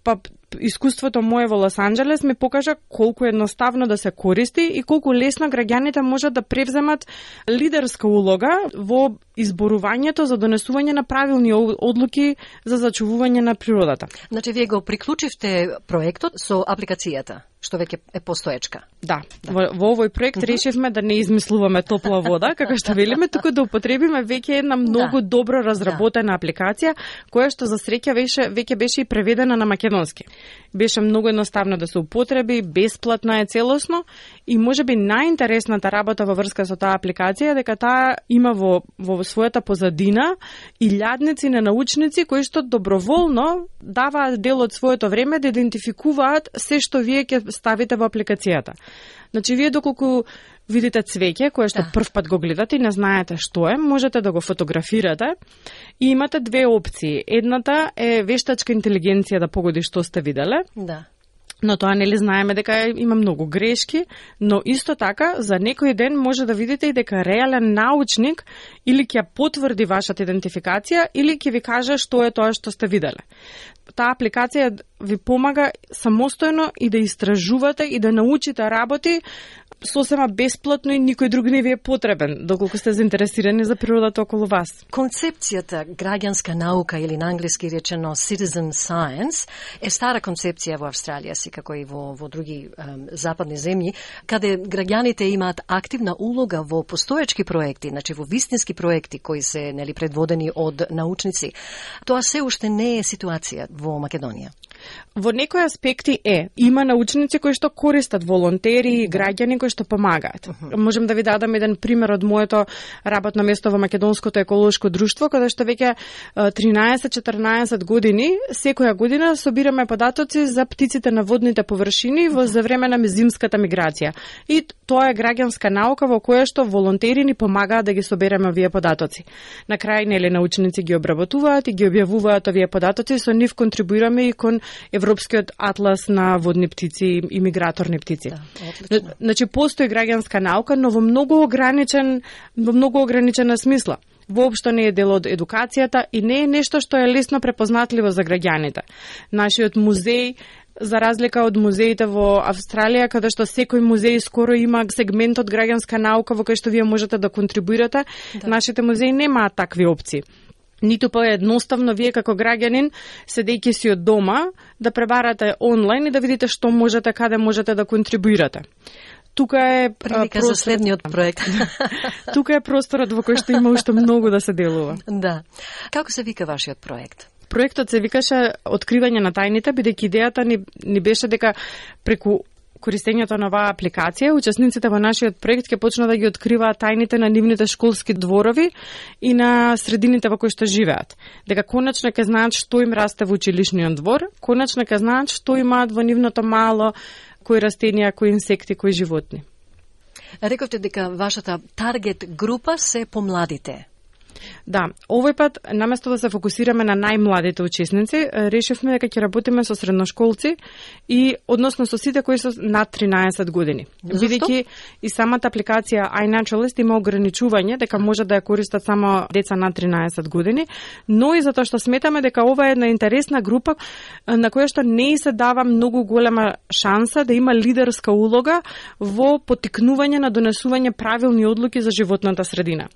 Па искуството мое во Лос Анџелес ми покажа колку едноставно да се користи и колку лесно граѓаните можат да превземат лидерска улога во изборувањето за донесување на правилни одлуки за зачувување на природата. Значи, вие го приклучивте проектот со апликацијата, што веќе е постоечка. Да, да. Во, во овој проект uh-huh. решивме да не измислуваме топла вода, како што велиме, туку да употребиме веќе една многу да. добро разработена да. апликација, која што за среќа веќе, веќе беше и преведена на македонски. Беше многу едноставно да се употреби, бесплатна е целосно и можеби најинтересната работа во врска со таа апликација е дека таа има во, во својата позадина и илјадници на научници кои што доброволно даваат дел од своето време да идентификуваат се што вие ќе ставите во апликацијата. Значи, вие доколку видите цвеќе, кое што да. прв пат го гледате и не знаете што е, можете да го фотографирате и имате две опции. Едната е вештачка интелигенција да погоди што сте виделе. Да. Но тоа нели знаеме дека има многу грешки, но исто така за некој ден може да видите и дека реален научник или ќе потврди вашата идентификација или ќе ви каже што е тоа што сте виделе. Таа апликација ви помага самостојно и да истражувате и да научите работи сосема бесплатно и никој друг не ви е потребен, доколку сте заинтересирани за природата околу вас. Концепцијата граѓанска наука или на англиски речено citizen science е стара концепција во Австралија, си како и во, во други um, западни земји, каде граѓаните имаат активна улога во постоечки проекти, значи во вистински проекти кои се нели предводени од научници. Тоа се уште не е ситуација во Македонија. Во некои аспекти е. Има научници кои што користат волонтери и граѓани кои што помагаат. Uh-huh. Можем да ви дадам еден пример од моето работно место во Македонското еколошко друштво, каде што веќе тринаесет-четрнаесет години, секоја година собираме податоци за птиците на водните површини во за време на зимската миграција. И тоа е граѓанска наука во која што волонтери ни помагаат да ги собереме овие податоци. На крај, нели, научници ги обработуваат и ги објавуваат овие податоци, со нив контрибуираме и кон Европскиот атлас на водни птици и миграторни птици. Да, значи, постои граѓанска наука, но во многу ограничен, во многу ограничена смисла. Воопшто не е дел од едукацијата и не е нешто што е лесно препознатливо за граѓаните. Нашиот музеј, за разлика од музеите во Австралија, каде што секој музеј скоро има сегмент од граѓанска наука во кој што вие можете да контрибуирате, да. Нашите музеи немаат такви опции. Ниту па едноставно вие како граѓанин, седејќи си од дома, да пребарате онлайн и да видите што можете, каде можете да контрибуирате. Тука е прилика простор... за следниот проект. Тука е просторот во кој што има уште многу да се делува. Да. Како се вика вашиот проект? Проектот се викаше Откривање на тајните, бидејќи идејата ни, ни беше дека преку користењето на оваа апликација, учесниците во нашиот проект ќе почнат да ги откриваат тајните на нивните школски дворови и на средините во кои што живеат. Дека конечно ќе знаат што им расте во училишниот двор, конечно ќе знаат што имаат во нивното мало, кои растенија, кои инсекти, кои животни. Рековте дека вашата таргет група се помладите. Да, овој пат, наместо да се фокусираме на најмладите учесници, решивме дека ќе работиме со средношколци и односно со сите кои се над тринаесет години. Бидејќи и самата апликација iNaturalist има ограничување дека може да ја користат само деца над тринаесет години, но и затоа што сметаме дека ова е една интересна група на која што не се дава многу голема шанса да има лидерска улога во поттикнување на донесување правилни одлуки за животната средина.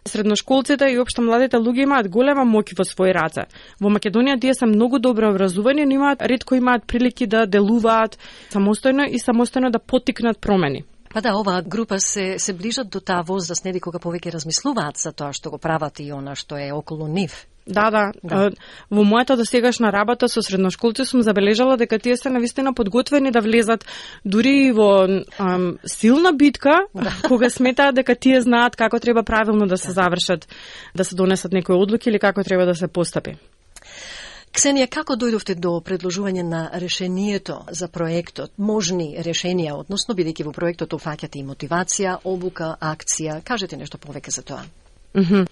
Средношколците и општо младите луѓе имаат голема моќ во своји раце. Во Македонија тие се многу добро образувани, но имаат ретко имаат прилики да делуваат самостојно и самостојно да поттикнат промени. Па да, оваа група се се ближат до таа возраст, нели кога повеќе размислуваат за тоа што го прават и она што е околу нив. Да, да, да. Во мојата досегашна работа со средношколци сум забележала дека тие се навистина подготвени да влезат дури во ам, силна битка, да. Кога сметаат дека тие знаат како треба правилно да се завршат, да се донесат некои одлуки или како треба да се постапи. Ксенија, како дојдовте до предложување на решението за проектот, можни решенија, односно бидејќи во проектот офаќате и мотивација, обука, акција, кажете нешто повеќе за тоа. Mm-hmm.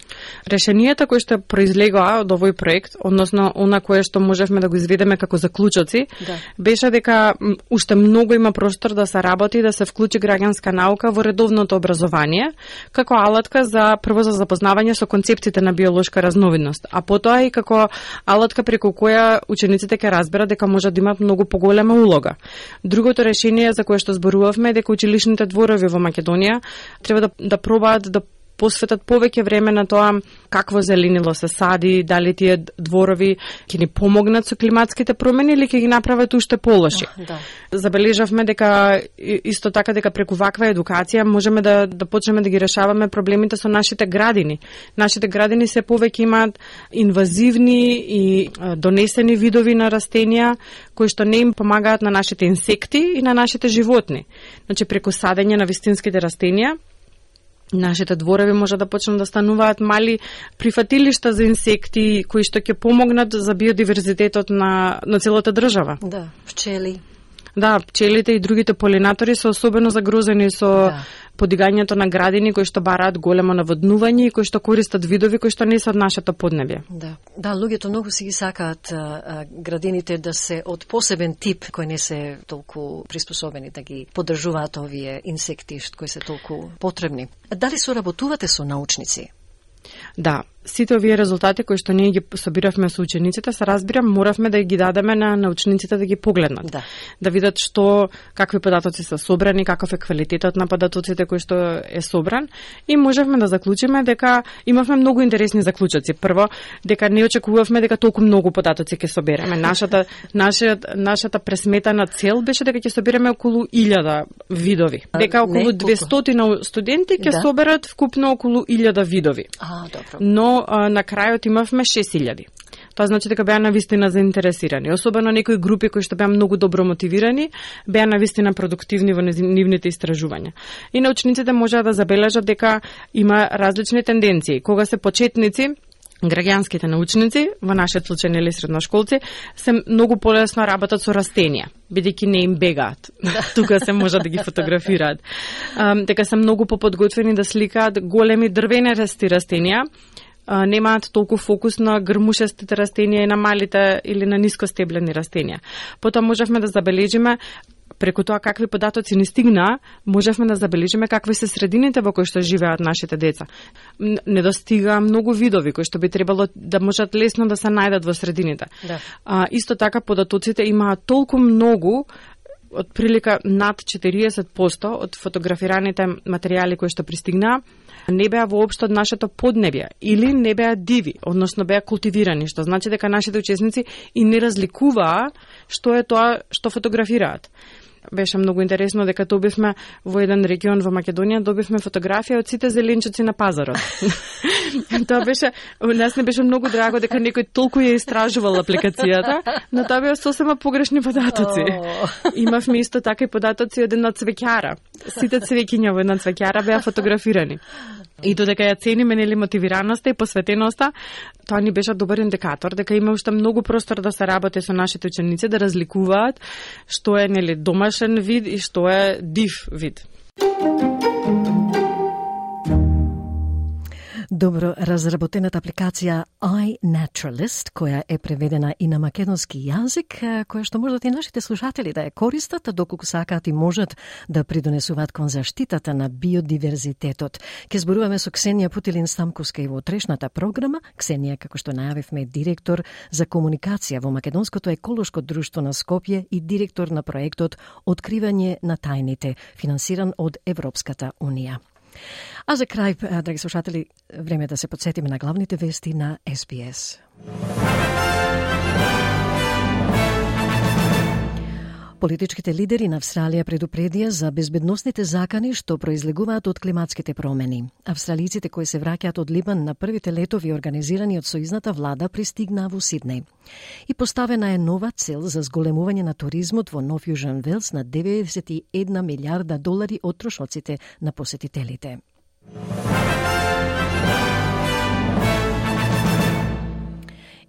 Решенијата кои што произлегоа од овој проект, односно она кое што можевме да го изведеме како заклучоци, да. Беше дека уште многу има простор да се работи и да се вклучи граѓанска наука во редовното образование, како алатка за прво за запознавање со концептите на биолошка разновидност, а потоа и како алатка преку која учениците ќе разберат дека може да имаат многу поголема улога. Другото решение за кое што зборувавме е дека училишните дворови во Македонија треба да, да пробаат да посветат повеќе време на тоа какво зеленило се сади, дали тие дворови ќе ни помогнат со климатските промени или ќе ги направат уште полоши. Да. Забележавме дека исто така дека преку ваква едукација можеме да да почнеме да ги решаваме проблемите со нашите градини. Нашите градини се повеќе имаат инвазивни и донесени видови на растенија кои што не им помагаат на нашите инсекти и на нашите животни. Значи преку садење на вистинските растенија нашите дворови може да почнат да стануваат мали прифатилишта за инсекти кои што ќе помогнат за биодиверзитетот на на целата држава. Да, пчели. Да, пчелите и другите полинатори се особено загрозени со да. Подигањето на градини кои што бараат големо наводнување и кои што користат видови кои што не се од нашето поднебје. Да, да, луѓето многу си ги сакаат а, а, градините да се од посебен тип кои не се толку приспособени да ги поддржуваат овие инсекти кои се толку потребни. Дали соработувате со научници? Да, сите овие резултати кои што ние ги собиравме со учениците, се разбирам, моравме да ги дадеме на научниците да ги погледнат. Да, да видат што, какви податоци се собрани, каков е квалитетот на податоците кои што е собран и можевме да заклучиме дека имавме многу интересни заклучоци. Прво, дека не очекувавме дека толку многу податоци ќе собереме. Нашата нашата нашата пресметана цел беше дека ќе собереме околу илјада видови. Дека околу двестотина студенти ќе да. Соберат вкупно околу илјада видови. А, добро. Но а, на крајот имавме шест илјади. Тоа значи дека беа навистина заинтересирани. Особено некои групи кои што беа многу добро мотивирани, беа навистина продуктивни во нивните истражувања. И научниците можеа да забележат дека има различни тенденции. Кога се почетници, граѓанските научници, во нашиот случај нели средношколци, се многу полесно работат со растенија, бидејќи не им бегаат. Тука се може да ги фотографираат. Um, дека се многу поподготвени да сликаат големи дрвенести растенија, Uh, немаат толку фокус на грмушестите растенија и на малите или на нискостеблени растенија. Потоа можевме да забележиме преку тоа какви податоци ни стигнаа, можевме да забележиме какви се средините во кои што живеат нашите деца. Не достигаа многу видови кои што би требало да можат лесно да се најдат во средините. Да. Uh, исто така податоците имаат толку многу, од прилика над четириесет проценти од фотографираните материјали кои што пристигнаа, не беа воопшто од нашето поднебје или не беа диви, односно беа култивирани, што значи дека нашите учесници и не разликуваа што е тоа што фотографираат. Беше многу интересно дека добивме во еден регион во Македонија, добивме фотографија од сите зеленчуци на пазарот. Тоа беше, нас не беше многу драго дека некој толку ја истражувал апликацијата, но тоа беа сосема погрешни податоци. Oh. Имавме исто така и податоци од една цвеќара. Сите цвеќиња во една цвеќара беа фотографирани. И додека ја цениме нели мотивираноста и посветеноста, тоа ни беше добар индикатор дека има уште многу простор да се работи со нашите ученици да разликуваат што е нели домашен вид и што е див вид. Добро разработената апликација iNaturalist, која е преведена и на македонски јазик, која што можат и нашите слушатели да ја користат, доколку сакаат и можат да придонесуваат кон заштитата на биодиверзитетот. Ке зборуваме со Ксенија Путилин-Стамковска и во утрешната програма. Ксенија, како што најавивме, директор за комуникација во Македонското еколошко друштво на Скопје и директор на проектот Откривање на тајните, финансиран од Европската Унија. А за крај, драги слушатели, време да се подсетиме на главните вести на Ес Би Ес. Политичките лидери на Австралија предупредија за безбедносните закани што произлегуваат од климатските промени. Австралиците кои се враќаат од Либан на првите летови организирани од сојузната влада пристигнаа во Сиднеј. И поставена е нова цел за зголемување на туризмот во Нов Јужен Велс на деветдесет и една милиарда долари од трошоците на посетителите.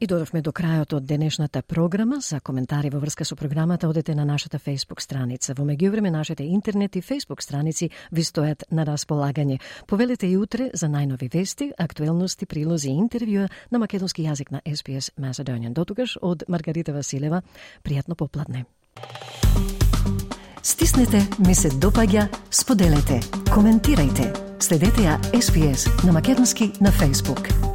И додовме до крајот од денешната програма. За коментари во врска со програмата одете на нашата Facebook страница. Во меѓувреме нашите интернет и Facebook страници ви стојат на располагање. Повелете и утре за најнови вести, актуелности, прилози и интервјуа на македонски јазик на Ес Би Ес Macedonian. Дотогаш од Маргарита Василева, пријатно попладне. Стиснете, ми се допаѓа, споделете, коментирајте. Следете ја Ес Би Ес на македонски на Facebook.